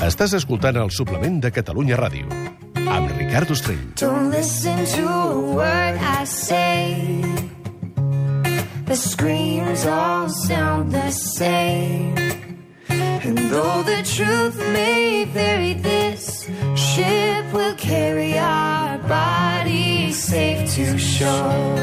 Estàs escoltant el suplement de Catalunya Ràdio, amb Ricard Ostrell. Don't listen to a word I say. The screams all sound the same. And though the truth may vary, this ship will carry our bodies safe to shore.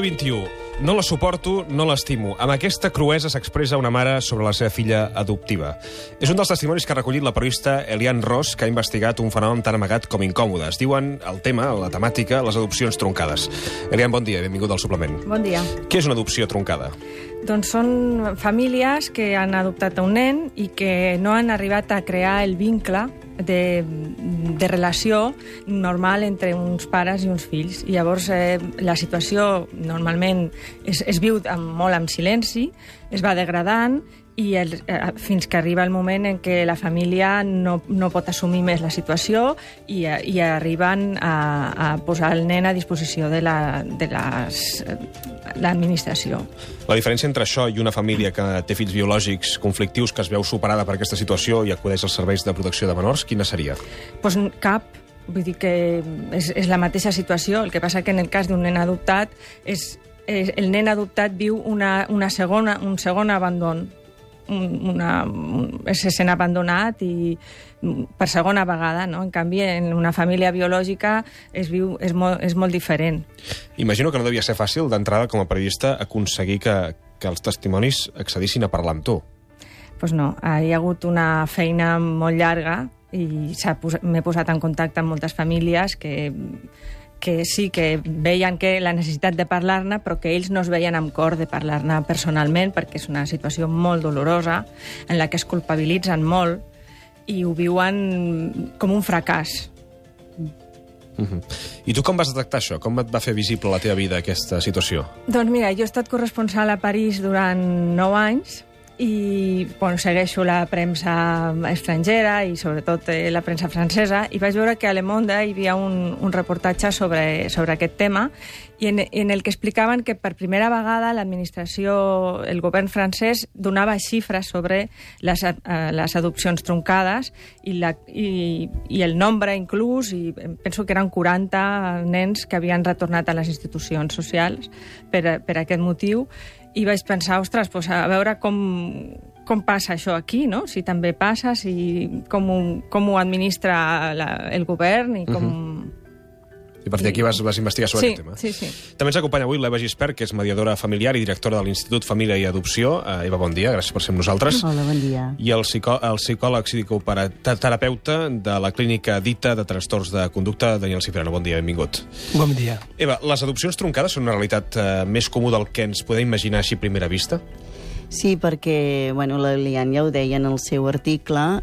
i 21. No la suporto, no l'estimo. Amb aquesta cruesa s'expressa una mare sobre la seva filla adoptiva. És un dels testimonis que ha recollit la periodista Eliane Ross, que ha investigat un fenomen tan amagat com incòmode. Es diuen el tema, la temàtica, les adopcions truncades. Eliane, bon dia, benvingut al suplement. Bon dia. Què és una adopció truncada? Doncs són famílies que han adoptat un nen i que no han arribat a crear el vincle de relació normal entre uns pares i uns fills. I llavors la situació normalment es viu molt en silenci, es va degradant i fins que arriba el moment en què la família no pot assumir més la situació i arriben a posar el nen a disposició de l'administració. La diferència entre això i una família que té fills biològics conflictius que es veu superada per aquesta situació i acudeix als serveis de protecció de menors, quina seria? Doncs cap. Vull dir que és la mateixa situació. El que passa que en el cas d'un nen adoptat el nen adoptat viu un segon abandon. Se sent abandonat i per segona vegada, no? En canvi, en una família biològica és molt diferent. Imagino que no devia ser fàcil d'entrada com a periodista aconseguir que els testimonis accedissin a parlar amb tu. Doncs no, hi ha hagut una feina molt llarga i m'he posat en contacte amb moltes famílies que sí que veien la necessitat de parlar-ne, però que ells no es veien amb cor de parlar-ne personalment, perquè és una situació molt dolorosa, en la que es culpabilitzen molt i ho viuen com un fracàs. I tu com vas detectar això? Com et va fer visible a la teva vida aquesta situació? Doncs mira, jo he estat corresponsal a París durant 9 anys i segueixo la premsa estrangera i sobretot la premsa francesa, i vaig veure que a Le Monde hi havia un reportatge sobre aquest tema i en el que explicaven que per primera vegada l'administració, el govern francès, donava xifres sobre les adopcions truncades i el nombre inclús, i penso que eren 40 nens que havien retornat a les institucions socials per aquest motiu. I vaig pensar, ostres, a veure com passa això aquí, no? Si també passa, com ho administra el govern i com... I a partir d'aquí vas investigar sobre aquest tema. Sí. També ens acompanya avui l'Eva Gispert, que és mediadora familiar i directora de l'Institut Família i Adopció. Eva, bon dia, gràcies per ser amb nosaltres. Hola, bon dia. I el psicòleg psicoterapeuta de la clínica Dita de trastorns de conducta, Daniel Cipriano. Bon dia, benvingut. Bon dia. Eva, les adopcions truncades són una realitat més comú del que ens podem imaginar així a primera vista? Sí, perquè la Eliane ja ho deia en el seu article,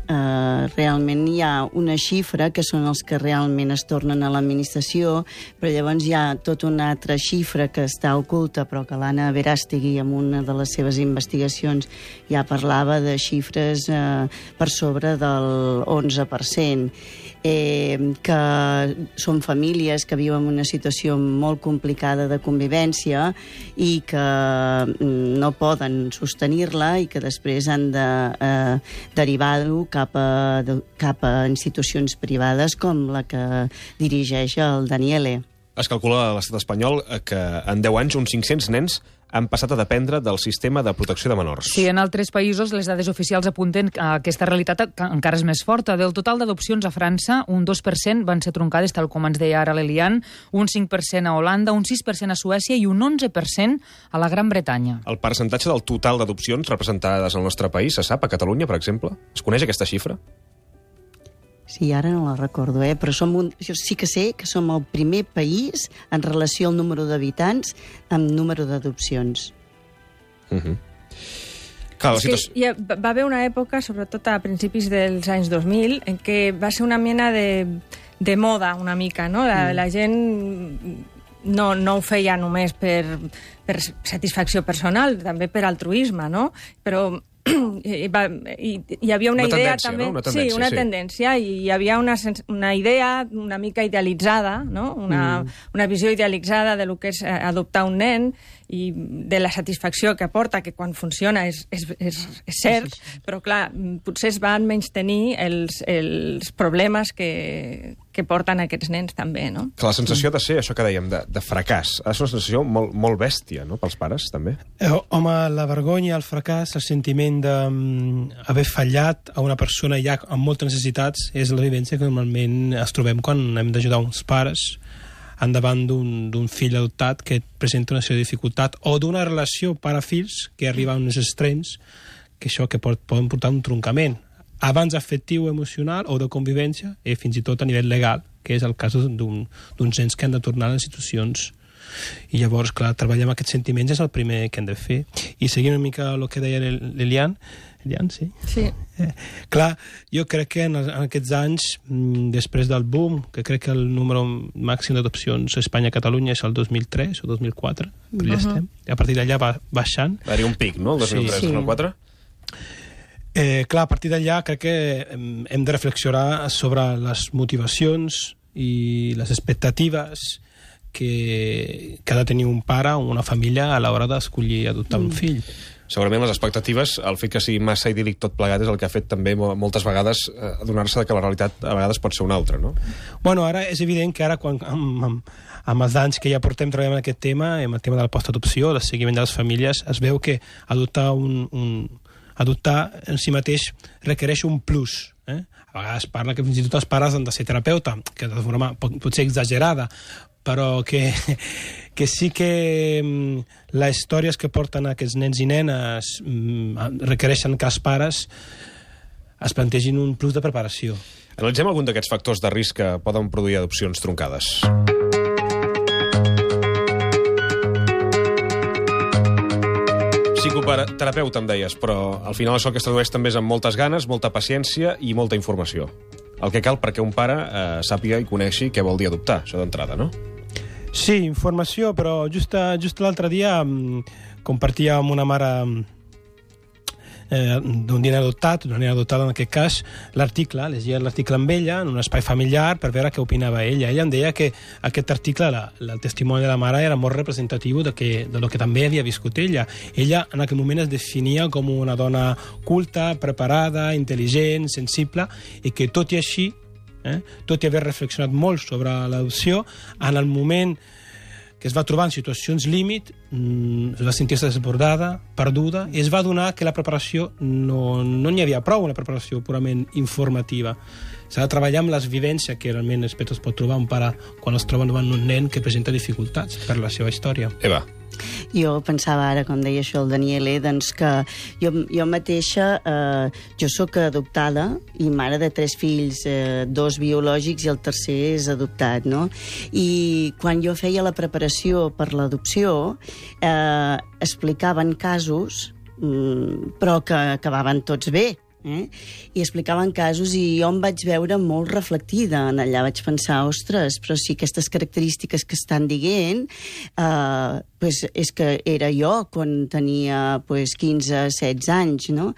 realment hi ha una xifra que són els que realment es tornen a l'administració, però llavors hi ha tota una altra xifra que està oculta, però que l'Anna Verástegui, en una de les seves investigacions, ja parlava de xifres per sobre del 11%, que són famílies que viuen una situació molt complicada de convivència i que no poden sostenir-la i que després han de derivar-ho cap a institucions privades com la que dirigeix el Daniele. Es calcula a l'estat espanyol que en 10 anys uns 500 nens han passat a dependre del sistema de protecció de menors. Sí, en altres països les dades oficials apunten que aquesta realitat encara és més forta. Del total d'adopcions a França, un 2% van ser truncades, tal com ens deia ara l'Eliane, un 5% a Holanda, un 6% a Suècia i un 11% a la Gran Bretanya. El percentatge del total d'adopcions representades al nostre país, se sap, a Catalunya, per exemple? Es coneix aquesta xifra? Sí, ara no la recordo, però jo sí que sé que som el primer país en relació al número d'habitants amb número d'adopcions. Va haver una època, sobretot a principis dels anys 2000, en què va ser una mena de moda una mica, no? La gent no ho feia només per satisfacció personal, també per altruisme, no? Però hi havia una idea tendència, també... no? Una tendència, sí, una tendència, i hi havia una idea una mica idealitzada, no? Una visió idealitzada de lo que és adoptar un nen i de la satisfacció que aporta, que quan funciona és cert, però clar, potser es van menystenir els problemes que porten aquests nens també, no? Que la sensació de ser, això que dèiem, de fracàs, ha de ser una sensació molt bèstia, no?, pels pares, també. Home, la vergonya, el fracàs, el sentiment d'haver fallat a una persona ja amb moltes necessitats és la vivència que normalment es trobem quan hem d'ajudar uns pares endavant d'un fill adoptat que presenta una sèrie de dificultat o d'una relació pare-fills que arriba a uns extrems que això que poden portar un troncament abans afectiu, emocional o de convivència i fins i tot a nivell legal, que és el cas d'uns nens que han de tornar a les institucions. I llavors, clar, treballar amb aquests sentiments és el primer que hem de fer. I seguint una mica el que deia l'Elian, sí? Sí. Clar, jo crec que en aquests anys, després del boom, que crec que el número màxim d'adopcions a Espanya i Catalunya és el 2003 o 2004, però ja estem. I a partir d'allà va baixant. Va haver un pic, no?, el 2003-2004? Clar, a partir d'allà crec que hem de reflexionar sobre les motivacions i les expectatives que ha de tenir un pare o una família a l'hora d'escollir adoptar un fill. Segurament les expectatives, el fet que sigui massa idíl·lic tot plegat és el que ha fet també moltes vegades adonar-se que la realitat a vegades pot ser una altra, no? Bueno, ara és evident que ara quan amb els anys que ja portem treballant en aquest tema, amb el tema de la postadopció, el seguiment de les famílies, es veu que adoptar adoptar en si mateix requereix un plus. A vegades parla que fins i tot els pares han de ser terapeuta, que de forma potser exagerada, però que sí que les històries que porten aquests nens i nenes requereixen que els pares es plantegin un plus de preparació. Analitzem algun d'aquests factors de risc que poden produir adopcions troncades. Psicoterapeuta, em deies, però al final això que es tradueix també és amb moltes ganes, molta paciència i molta informació. El que cal perquè un pare sàpiga i coneixi què vol dir adoptar, això d'entrada, no? Sí, informació, però just l'altre dia compartia amb una mare d'un nen adoptat, una nena adoptada en aquest cas, l'article, llegia l'article amb ella en un espai familiar per veure què opinava ella. Ella em deia que aquest article, el testimoni de la mare, era molt representatiu de lo que també havia viscut ella. Ella en aquell moment es definia com una dona culta, preparada, intel·ligent, sensible, i que tot i així, tot i haver reflexionat molt sobre l'adopció, en el moment que es va trobar en situacions límit, es va sentir-se desbordada, perduda, i es va adonar que la preparació no n'hi havia prou, una preparació purament informativa. S'ha de treballar amb les vivències que realment es pot trobar un pare quan es troba davant un nen que presenta dificultats per la seva història. Eva. Jo pensava ara, com deia això el Daniele, doncs que jo mateixa, jo sóc adoptada i mare de 3 fills, 2 biològics i el tercer és adoptat, no? I quan jo feia la preparació per l'adopció, explicaven casos, però que acabaven tots bé. I explicaven casos i jo em vaig veure molt reflectida en allà. Vaig pensar, ostres, però sí, aquestes característiques que estan dient és que era jo quan tenia 15-16 anys, no?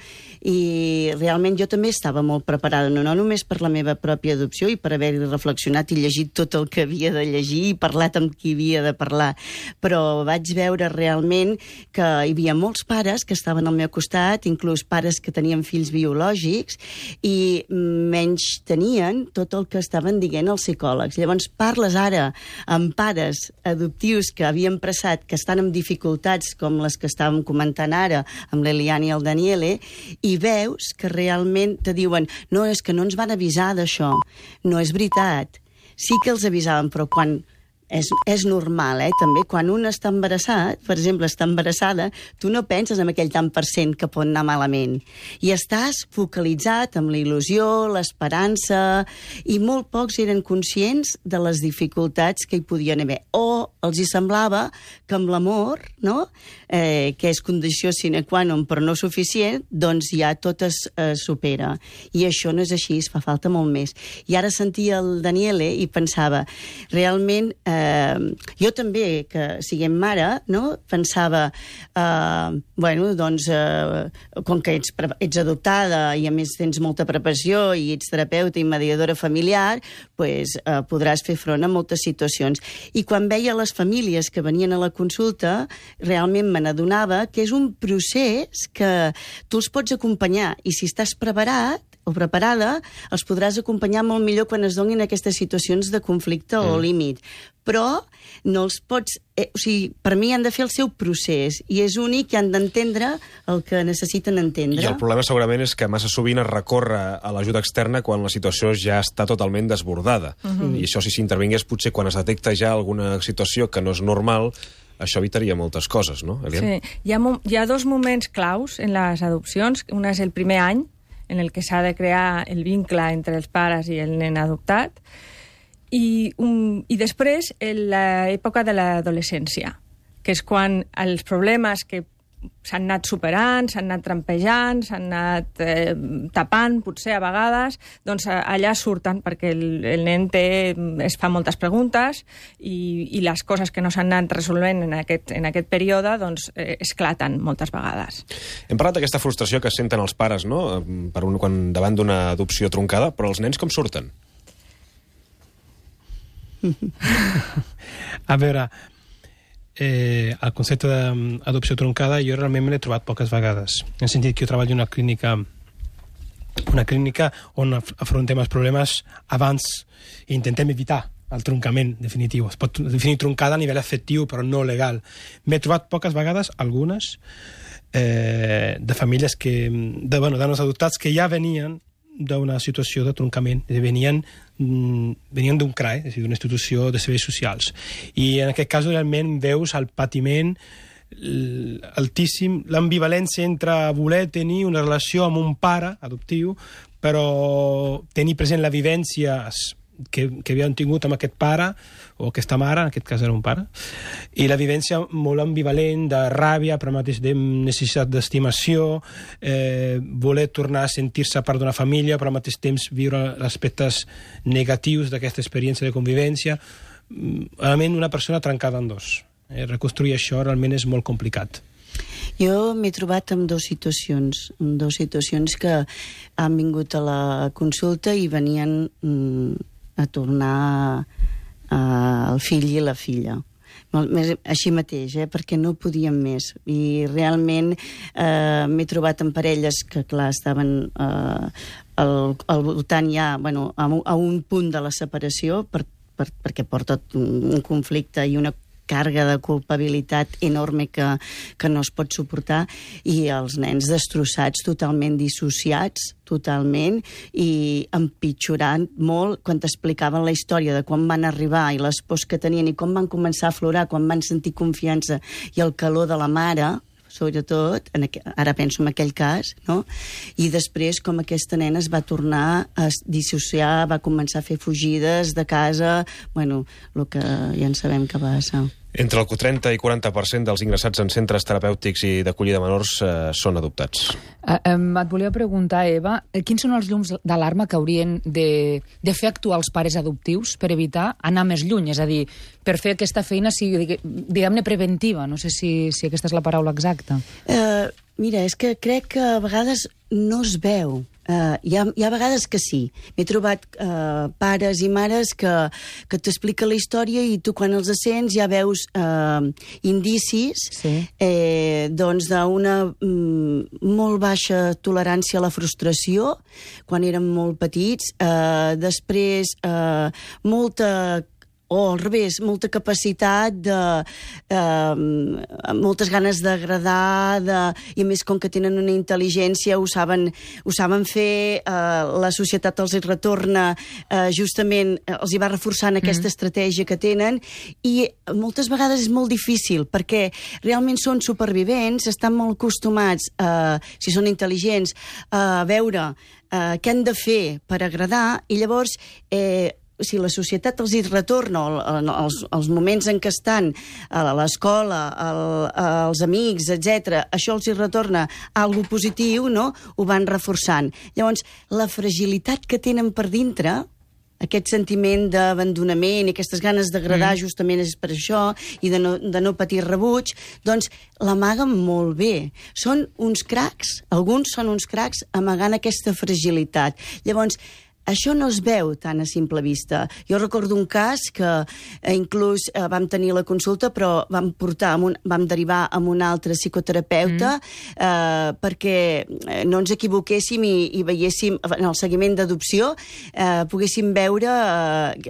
I realment jo també estava molt preparada, no només per la meva pròpia adopció i per haver reflexionat i llegit tot el que havia de llegir i parlat amb qui havia de parlar, però vaig veure realment que hi havia molts pares que estaven al meu costat, inclús pares que tenien fills biològics, i menys tenien tot el que estaven dient els psicòlegs. Llavors parles ara amb pares adoptius que havien passat, que estan amb dificultats com les que estàvem comentant ara amb l'Elian i el Daniele, i veus que realment te diuen no, és que no ens van avisar d'això. No és veritat. Sí que els avisaven, però quan és normal, també. Quan un està embarassat, per exemple, està embarassada, tu no penses en aquell tant % que pot anar malament. I estàs focalitzat amb la il·lusió, l'esperança, i molt pocs eren conscients de les dificultats que hi podien haver. O els hi semblava que amb l'amor, no?, que és condició sine qua non però no suficient, doncs ja tot es supera. I això no és així, es fa falta molt més. I ara sentia el Daniele i pensava, realment jo també, que siguem mare, no? Pensava, com que ets adoptada i a més tens molta preparació i ets terapeuta i mediadora familiar, podràs fer front a moltes situacions. I quan veia les famílies que venien a la consulta, realment me n'adonava que és un procés que tu els pots acompanyar, i si estàs preparat o preparada, els podràs acompanyar molt millor quan es donin aquestes situacions de conflicte o límit. Però no els pots... per mi han de fer el seu procés, i és únic i han d'entendre el que necessiten entendre. I el problema segurament és que massa sovint es recorre a l'ajuda externa quan la situació ja està totalment desbordada. I això, si s'intervingués, potser quan es detecta ja alguna situació que no és normal, això evitaria moltes coses, no, Elian? Sí, hi ha dos moments claus en les adopcions. Un és el primer any, en el que s'ha de crear el vincle entre els pares i el nen adoptat, i després l'època de l'adolescència, que és quan els problemes que s'han anat superant, s'han anat trampejant, s'han anat tapant, potser a vegades, doncs allà surten, perquè el nen es fa moltes preguntes i les coses que no s'han anat resolvent en aquest període doncs esclaten moltes vegades. Hem parlat d'aquesta frustració que senten els pares, no?, quan davant d'una adopció troncada, però els nens com surten? A veure... el concepte d'adopció troncada jo realment me l'he trobat poques vegades. En el sentit que jo treballo en una clínica on afrontem els problemes abans i intentem evitar el troncament definitiu. Es pot definir troncada a nivell afectiu, però no legal. M'he trobat poques vegades, algunes, de famílies de nanos adoptats que ja venien d'una situació de troncament, venien d'un CRAE, és a dir, d'una institució de serveis socials. I en aquest cas realment veus el patiment altíssim, l'ambivalència entre voler tenir una relació amb un pare adoptiu, però tenir present la vivència que havien tingut amb aquest pare o aquesta mare, en aquest cas era un pare, i la vivència molt ambivalent de ràbia, però mateix de necessitat d'estimació, voler tornar a sentir-se part d'una família, però al mateix temps viure els aspectes negatius d'aquesta experiència de convivència. Realment una persona trencada en dos. Reconstruir això realment és molt complicat. Jo m'he trobat amb dues situacions que han vingut a la consulta i venien a tornar el fill i la filla. Així mateix, perquè no podíem més. I realment m'he trobat amb parelles que, clar, estaven al voltant ja, a un punt de la separació, perquè porta un conflicte i una càrrega de culpabilitat enorme que no es pot suportar, i els nens destrossats, totalment dissociats, totalment, i empitjorant molt quan t'explicaven la història de quan van arribar i les pors que tenien i com van començar a aflorar, quan van sentir confiança i el calor de la mare, sobretot, ara penso en aquell cas, no? I després com aquesta nena es va tornar a dissociar, va començar a fer fugides de casa, el que ja en sabem que passa. Entre el 30 i 40% dels ingressats en centres terapèutics i d'acollida de menors són adoptats. Et volia preguntar, Eva, quins són els llums d'alarma que haurien de fer actuar els pares adoptius per evitar anar més lluny? És a dir, per fer aquesta feina sigui, diguem-ne, preventiva. No sé si aquesta és la paraula exacta. Mira, és que crec que a vegades no es veu. Hi ha vegades que sí. M'he trobat pares i mares que t'expliquen la història i tu quan els sents ja veus indicis d'una molt baixa tolerància a la frustració quan érem molt petits, després al revés, molta capacitat moltes ganes d'agradar, i a més com que tenen una intel·ligència ho saben fer, la societat els retorna, justament els hi va reforçant aquesta estratègia que tenen, i moltes vegades és molt difícil perquè realment són supervivents, estan molt acostumats, si són intel·ligents, a veure què han de fer per agradar, i llavors si la societat els hi retorna els moments en què estan a l'escola, als amics, etc., això els hi retorna algo positiu, no? Ho van reforçant. Llavors, la fragilitat que tenen per dintre aquest sentiment d'abandonament i aquestes ganes d'agradar justament és per això, i de no patir rebuig, doncs l'amaguen molt bé. Són uns cracs, alguns són uns cracs amagant aquesta fragilitat. Llavors, això no es veu tan a simple vista. Jo recordo un cas que inclús vam tenir la consulta, però vam derivar amb un altre psicoterapeuta perquè no ens equivoquéssim i veiéssim, en el seguiment d'adopció, poguéssim veure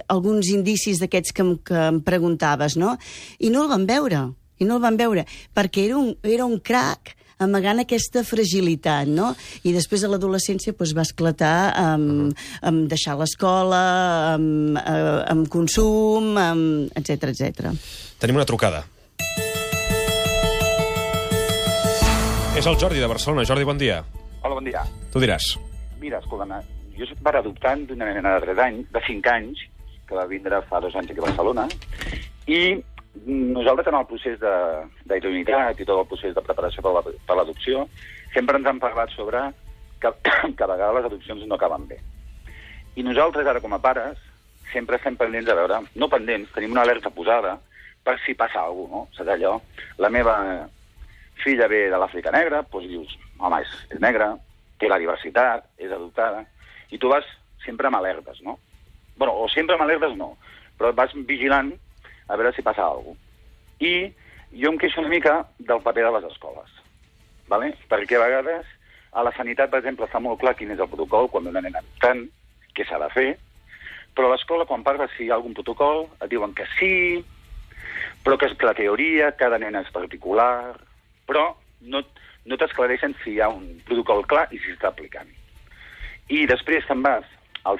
alguns indicis d'aquests que em preguntaves, no? I no el vam veure, perquè era un crac amagant aquesta fragilitat, no? I després a l'adolescència va esclatar amb deixar l'escola, amb consum, etc etc. Tenim una trucada. És el Jordi de Barcelona. Jordi, bon dia. Hola, bon dia. Tu diràs. Mira, escolta'm, jo soc pare adoptant d'una nena de 5 anys, que va vindre fa 2 anys aquí a Barcelona, i nosaltres, en el procés d'idoneïtat i tot el procés de preparació per l'adopció, sempre ens han parlat sobre que a vegades les adopcions no acaben bé. I nosaltres, ara com a pares, sempre estem pendents a veure, no pendents, tenim una alerta posada per si passa alguna cosa, no? Saps allò? La meva filla ve de l'Àfrica negra, doncs dius, home, és negra, té la diversitat, és adoptada, i tu vas sempre amb alertes, no? Bueno, o sempre amb alertes no, però vas vigilant a veure si passa alguna cosa. I jo em queixo una mica del paper de les escoles, ¿vale? Perquè a vegades a la sanitat, per exemple, està molt clar quin és el protocol quan una nena adoptant, què s'ha de fer, però a l'escola, quan parles si hi ha algun protocol, et diuen que sí, però que és la teoria, cada nena és particular, però no t'esclareixen si hi ha un protocol clar i si s'està aplicant. I després te'n vas a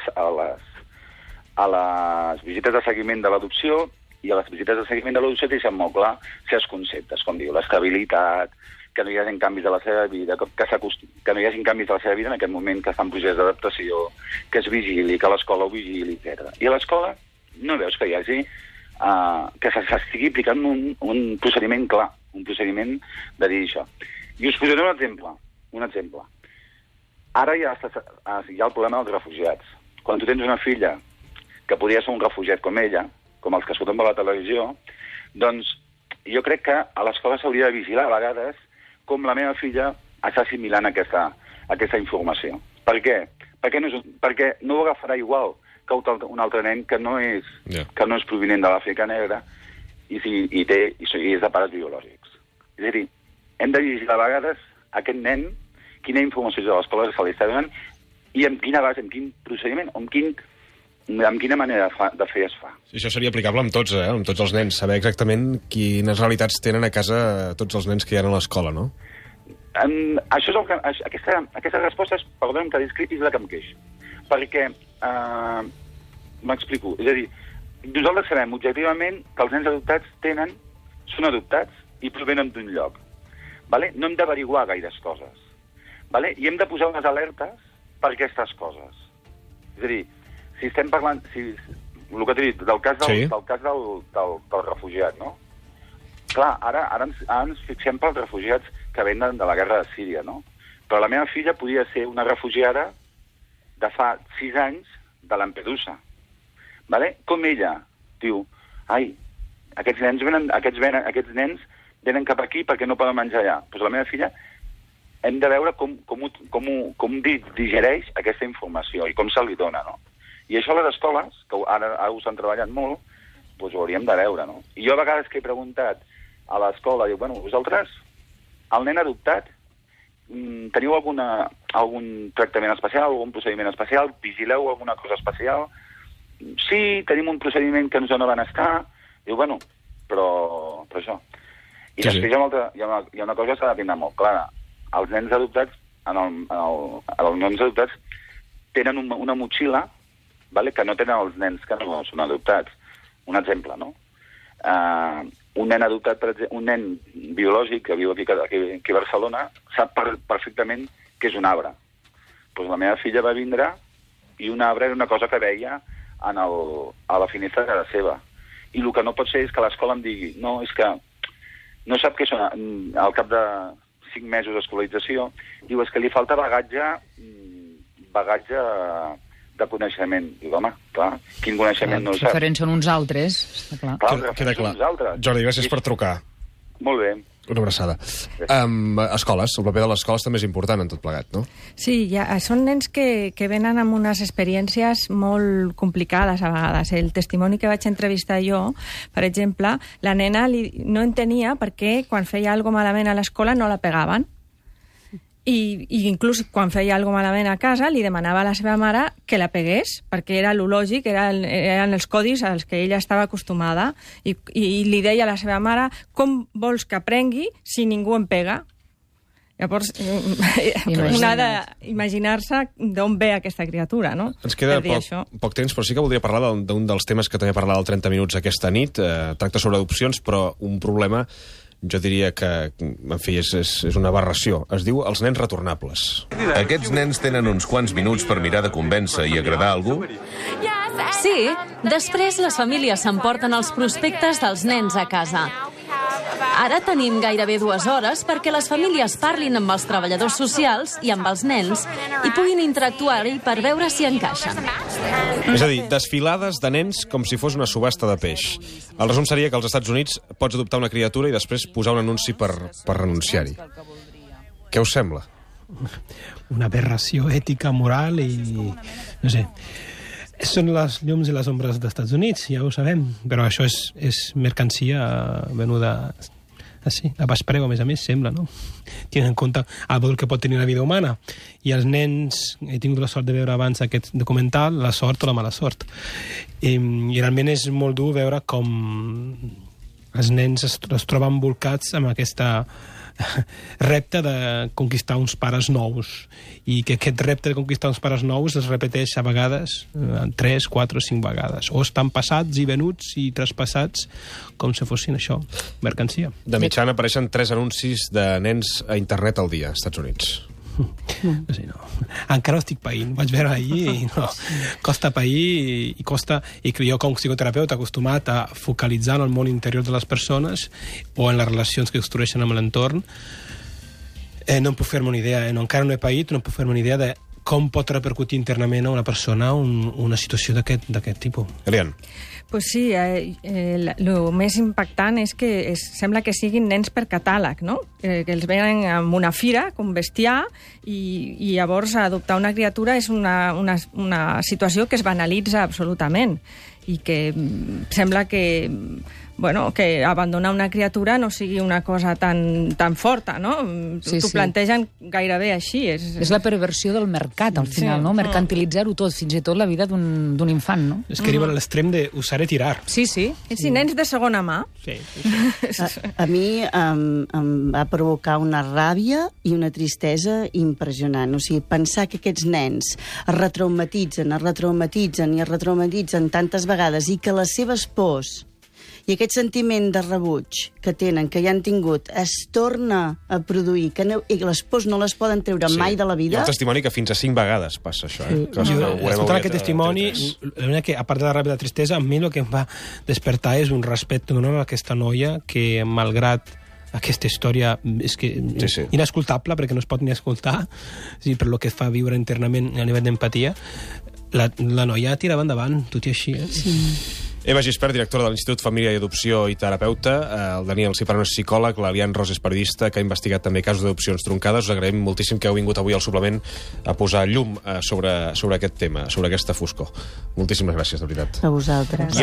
les visites de seguiment de l'adopció, i a les visites de seguiment de l'adopció deixen molt clar certs conceptes, com diu l'estabilitat, que no hi hagi canvis de la seva vida, que no hi hagi canvis de la seva vida en aquest moment que està en procés d'adaptació, que es vigili, que l'escola ho vigili, etc. I a l'escola no veus que hi hagi que s'estigui aplicant un procediment clar, un procediment de dir això. I us posaré un exemple. Ara hi ha el problema dels refugiats. Quan tu tens una filla que podria ser un refugiat com ella, com els que surten per la televisió, doncs jo crec que a l'escola s'hauria de vigilar a vegades com la meva filla està assimilant aquesta informació. Per què? Perquè no ho agafarà igual que un altre nen que no és provinent de l'Àfrica negra i és de pares biològics. És a dir, hem de vigilar a vegades aquest nen, quina informació de l'escola se li està donant i amb quina base, amb quin procediment, amb quina manera de fer es fa. Sí, això seria aplicable amb tots, amb tots els nens, saber exactament quines realitats tenen a casa tots els nens que hi ha a l'escola, no? Això és aquesta resposta és, perdona'm que discrepi, és la que em queixo. Perquè, m'explico, és a dir, nosaltres sabem objectivament que els nens adoptats són adoptats i provenen d'un lloc. Vale? No hem d'averiguar gaires coses. Vale? I hem de posar unes alertes per aquestes coses. És a dir, si estem parlant, el que t'he dit, del cas del refugiat, no? Clar, ara ens fixem pels refugiats que venen de la guerra de Síria, no? Però la meva filla podia ser una refugiada de fa 6 anys de Lampedusa. Vale? Com ella diu, aquests nens venen cap aquí perquè no poden menjar allà. Doncs la meva filla hem de veure com digereix aquesta informació i com se li dona, no? I això a les escoles, que ara ho estan treballant molt, doncs ho hauríem de veure, no? I jo a vegades que he preguntat a l'escola, diu, vosaltres, el nen adoptat, teniu algun tractament especial, algun procediment especial? Vigileu alguna cosa especial? Sí, tenim un procediment que ens dona benestar. Diu, però això. I després hi ha una cosa que s'ha de tindre molt clara. Els nens adoptats, els nens adoptats tenen una motxilla que no tenen els nens que no són adoptats. Un exemple, no? Un nen adoptat, per exemple, un nen biològic que viu aquí a Barcelona sap perfectament què és un arbre. Doncs la meva filla va vindre i un arbre era una cosa que veia a la finestra de casa seva. I el que no pot ser és que l'escola em digui no, és que no sap què són. Al cap de 5 mesos d'escolarització diu, és que li falta bagatge de coneixement. Dic, home, clar, quin coneixement no ho Els sap? referents són uns altres, està clar. Clar, els Queda referents clar. són uns altres. Jordi, gràcies per trucar. Molt bé. Una abraçada. Escoles, el paper de les escoles també és important en tot plegat, no? Sí, són nens que venen amb unes experiències molt complicades a vegades. El testimoni que vaig entrevistar jo, per exemple, la nena no entenia per què quan feia alguna malament a l'escola no la pegaven. I inclús quan feia alguna malament a casa li demanava a la seva mare que la pegués, perquè era lo lògic, eren els codis als que ella estava acostumada, i li deia a la seva mare: com vols que aprengui si ningú em pega? Llavors, un ha d'imaginar-se d'on ve aquesta criatura, no? Ens queda Per dir això. poc temps, però sí que voldria parlar d'un dels temes que també parlarà al 30 minuts aquesta nit. Tracta sobre adopcions, però un problema, jo diria que, en fi, és una aberració. Es diu els nens retornables. Aquests nens tenen uns quants minuts per mirar de convèncer i agradar a algú? Sí, després les famílies s'emporten els prospectes dels nens a casa. Ara tenim gairebé 2 hores perquè les famílies parlin amb els treballadors socials i amb els nens i puguin interactuar-hi per veure si encaixen. És a dir, desfilades de nens com si fos una subhasta de peix. El resum seria que als Estats Units pots adoptar una criatura i després posar un anunci per renunciar-hi. Què us sembla? Una aberració ètica, moral i... no sé... Són les llums i les ombres dels Estats Units, ja ho sabem, però això és mercancia venuda així, a baix preu, a més, sembla, no? Tenint en compte el valor que pot tenir la vida humana. I els nens, he tingut la sort de veure abans aquest documental, la sort o la mala sort. I realment és molt dur veure com els nens es troben embolcats amb aquesta repte de conquistar uns pares nous, i que aquest repte de conquistar uns pares nous es repeteix a vegades 3, 4 o 5 vegades, o estan passats i venuts i traspassats com si fossin això, mercancia. De mitjana apareixen 3 anuncis de nens a internet al dia, als Estats Units. No sé, no. Encara ho estic païnt, vaig veure ahir i no. Costa pair i costa, i jo com a psicoterapeuta acostumat a focalitzar en el món interior de les persones o en les relacions que construeixen amb l'entorn, no em puc fer-me una idea, encara no he paït, no em puc fer-me una idea de com pot repercutir internament a una persona una situació d'aquest tipus. Elian. Pues sí, el més impactant és que sembla que siguin nens per catàleg, no? Que els venen amb una fira, com bestiar, i llavors adoptar una criatura és una situació que es banalitza absolutament i que sembla que abandonar una criatura no sigui una cosa tan forta, no? T'ho plantegen gairebé així. És la perversió del mercat, al final, no? Mercantilitzar-ho tot, fins i tot la vida d'un infant, no? És que arriba a l'extrem de usar i tirar. Sí. Sí, nens de segona mà. Sí. A mi em va provocar una ràbia i una tristesa impressionant. O sigui, pensar que aquests nens es retraumatitzen tantes vegades i que les seves pors i aquest sentiment de rebuig que tenen, que ja han tingut, es torna a produir, i les pors no les poden treure mai de la vida. Hi ha un testimoni que fins a 5 vegades passa això. Escoltant aquest testimoni, que a part de la ràbia i la tristesa, a mi el que em va despertar és un respecte a aquesta noia que, malgrat aquesta història és que inescoltable, perquè no es pot ni escoltar, per lo que fa viure internament a nivell d'empatia, la noia tirava endavant, tot i així. Sí. Eva Gispert, directora de l'Institut Família i Adopció i terapeuta, el Daniel Ciprano és psicòleg, l'Elian Ros és periodista, que ha investigat també casos d'adopcions truncades. Us agraïm moltíssim que heu vingut avui al suplement a posar llum sobre aquest tema, sobre aquesta foscor. Moltíssimes gràcies, de veritat. A vosaltres.